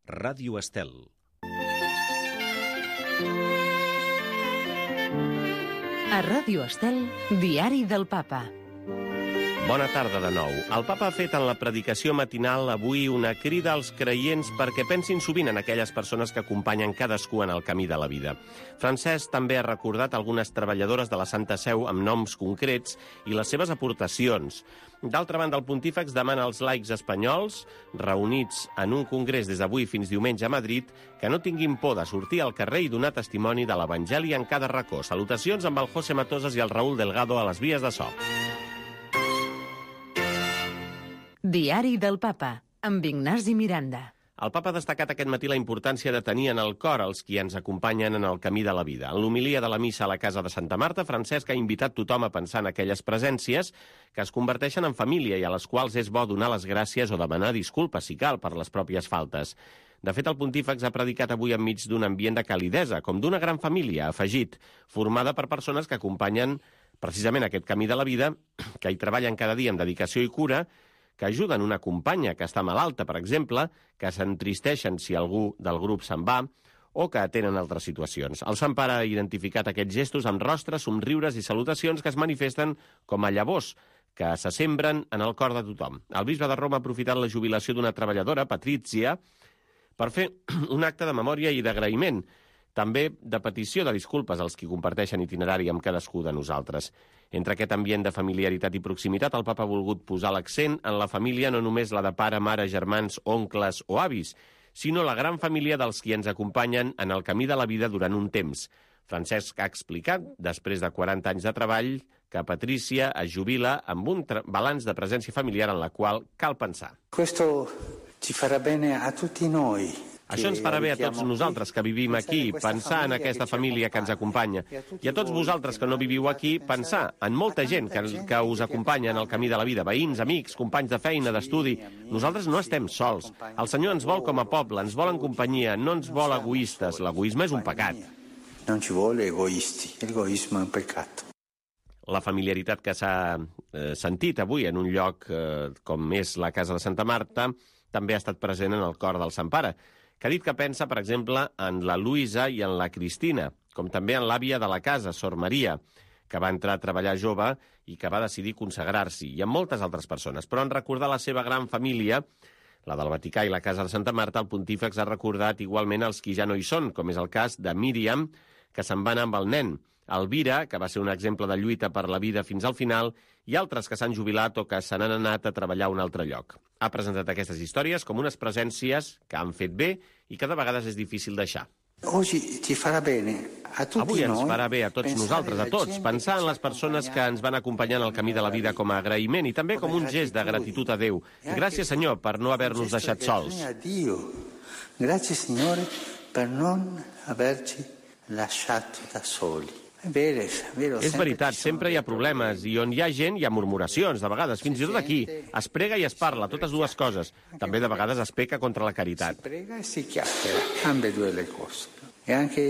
Ràdio Estel. A Ràdio Estel, Diari del Papa. Bona tarda de nou. El Papa ha fet en la predicació matinal avui una crida als creients perquè pensin sovint en aquelles persones que acompanyen cadascú en el camí de la vida. Francesc també ha recordat algunes treballadores de la Santa Seu amb noms concrets i les seves aportacions. D'altra banda, el pontífex demana als laics espanyols, reunits en un congrés des d'avui fins diumenge a Madrid, que no tinguin por de sortir al carrer i donar testimoni de l'Evangeli en cada racó. Salutacions amb el José Matosas i el Raúl Delgado a les vies de so. Diari del Papa, amb Ignasi Miranda. El Papa ha destacat aquest matí la importància de tenir en el cor els qui ens acompanyen en el camí de la vida. En l'homilia de la missa a la casa de Santa Marta, Francesc ha invitat tothom a pensar en aquelles presències que es converteixen en família i a les quals és bo donar les gràcies o demanar disculpes, si cal, per les pròpies faltes. De fet, el pontífex ha predicat avui enmig d'un ambient de calidesa, com d'una gran família, ha afegit, formada per persones que acompanyen precisament aquest camí de la vida, que hi treballen cada dia amb dedicació i cura, que ajuden una companya que està malalta, per exemple, que s'entristeixen si algú del grup se'n va, o que atenen altres situacions. El Sant Pare ha identificat aquests gestos amb rostres, somriures i salutacions que es manifesten com a llavors que se sembren en el cor de tothom. El bisbe de Roma ha aprofitat la jubilació d'una treballadora, Patrizia, per fer un acte de memòria i d'agraïment, també de petició de disculpes als qui comparteixen itinerari amb cadascú de nosaltres. Entre aquest ambient de familiaritat i proximitat, el Papa ha volgut posar l'accent en la família, no només la de pare, mare, germans, oncles o avis, sinó la gran família dels qui ens acompanyen en el camí de la vida durant un temps. Francesc ha explicat, després de 40 anys de treball, que Patrícia es jubila amb un balanç de presència familiar en la qual cal pensar. Questo ci farà bene a tutti noi. Això ens farà bé a tots nosaltres que vivim aquí, pensar en aquesta família que ens acompanya. I a tots vosaltres que no viviu aquí, pensar en molta gent que us acompanya en el camí de la vida, veïns, amics, companys de feina, d'estudi. Nosaltres no estem sols. El Senyor ens vol com a poble, ens vol en companyia, no ens vol egoistes. L'egoisme és un pecat. Non ci vuole egoisti, l'egoismo è un peccato. La familiaritat que s'ha sentit avui en un lloc com és la casa de Santa Marta també ha estat present en el cor del Sant Pare, que ha dit que pensa, per exemple, en la Luisa i en la Cristina, com també en l'àvia de la casa, Sor Maria, que va entrar a treballar jove i que va decidir consagrar-s'hi, i en moltes altres persones. Però en recordar la seva gran família, la del Vaticà i la casa de Santa Marta, el pontífex ha recordat igualment els qui ja no hi són, com és el cas de Míriam, que se'n va anar amb el nen, Elvira, que va ser un exemple de lluita per la vida fins al final, i altres que s'han jubilat o que se n'han anat a treballar a un altre lloc. Ha presentat aquestes històries com unes presències que han fet bé i que de vegades és difícil deixar. Avui ens farà bé a tots nosaltres, a tots, pensar en les persones que ens van acompanyar en el camí de la vida com a agraïment i també com un gest de gratitud a Déu. Gràcies, Senyor, per no haver-nos deixat sols. Gràcies, Signore, per non averci lasciato da soli. És veritat, sempre hi ha problemes, i on hi ha gent hi ha murmuracions, de vegades, fins i tot aquí. Es prega i es parla, totes dues coses. També de vegades es peca contra la caritat. Si prega e si chiacchiera, ambedue le cose. E anche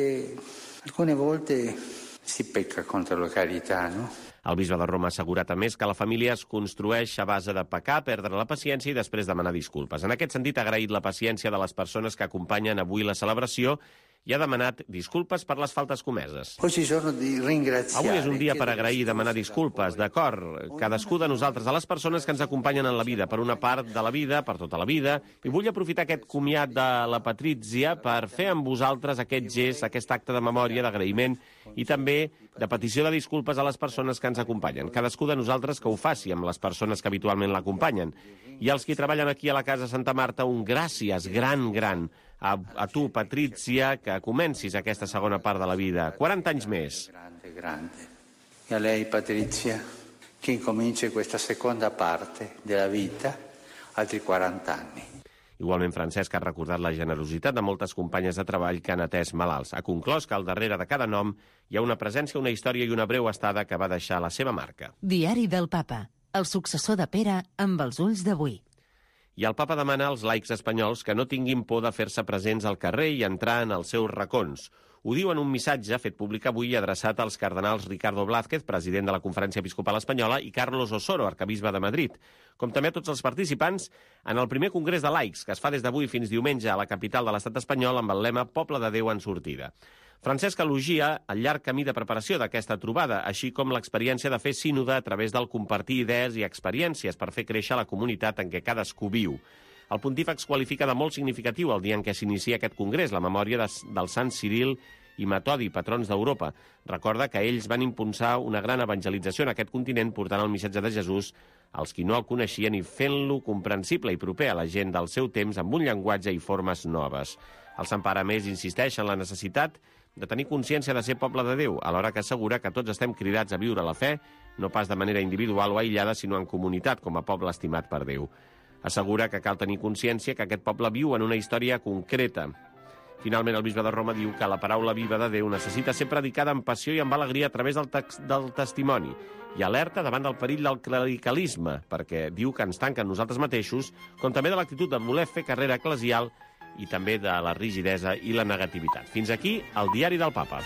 alcune volte si pecca contra la carità, no? El bisbe de Roma ha assegurat a més que la família es construeix a base de pecar, perdre la paciència i després demanar disculpes. En aquest sentit, ha agraït la paciència de les persones que acompanyen avui la celebració i ha demanat disculpes per les faltes comeses. Avui és un dia per agrair i demanar disculpes, d'acord, cadascú de nosaltres, a les persones que ens acompanyen en la vida, per una part de la vida, per tota la vida, i vull aprofitar aquest comiat de la Patrícia per fer amb vosaltres aquest gest, aquest acte de memòria, d'agraïment, i també de petició de disculpes a les persones que ens acompanyen. Cadascú de nosaltres que ho faci amb les persones que habitualment l'acompanyen. I als qui treballen aquí a la casa Santa Marta, un gràcies gran a tu, Patrícia, que comencis aquesta segona part de la vida. 40 anys més. Grande. E a lei, Patrizia, che incomincia questa seconda parte della vita, altri 40 anni. Igualment, Francesc ha recordat la generositat de moltes companyes de treball que han atès malalts. Ha conclòs que al darrere de cada nom hi ha una presència, una història i una breu estada que va deixar la seva marca. Diari del Papa, el successor de Pere amb els ulls d'avui. I el Papa demana als laics espanyols que no tinguin por de fer-se presents al carrer i entrar en els seus racons. Ho diu en un missatge fet públic avui adreçat als cardenals Ricardo Blázquez, president de la Conferència Episcopal Espanyola, i Carlos Osoro, arcabisbe de Madrid, com també a tots els participants en el primer congrés de laics, que es fa des d'avui fins diumenge a la capital de l'estat espanyol amb el lema Poble de Déu en sortida. Francesc elogia el llarg camí de preparació d'aquesta trobada, així com l'experiència de fer sínode a través del compartir idees i experiències per fer créixer la comunitat en què cadascú viu. El pontífex qualifica de molt significatiu el dia en què s'inicia aquest congrés, la memòria del Sant Ciril i Metodi, patrons d'Europa. Recorda que ells van impulsar una gran evangelització en aquest continent portant el missatge de Jesús als qui no el coneixien i fent-lo comprensible i proper a la gent del seu temps amb un llenguatge i formes noves. El Sant Pare, a més, insisteix en la necessitat de tenir consciència de ser poble de Déu, alhora que assegura que tots estem cridats a viure la fe, no pas de manera individual o aïllada, sinó en comunitat, com a poble estimat per Déu. Assegura que cal tenir consciència que aquest poble viu en una història concreta. Finalment, el bisbe de Roma diu que la paraula viva de Déu necessita ser predicada amb passió i amb alegria a través del testimoni i alerta davant del perill del clericalisme, perquè diu que ens tanca en nosaltres mateixos, com també de l'actitud de voler fer carrera eclesial i també de la rigidesa i la negativitat. Fins aquí el Diari del Papa.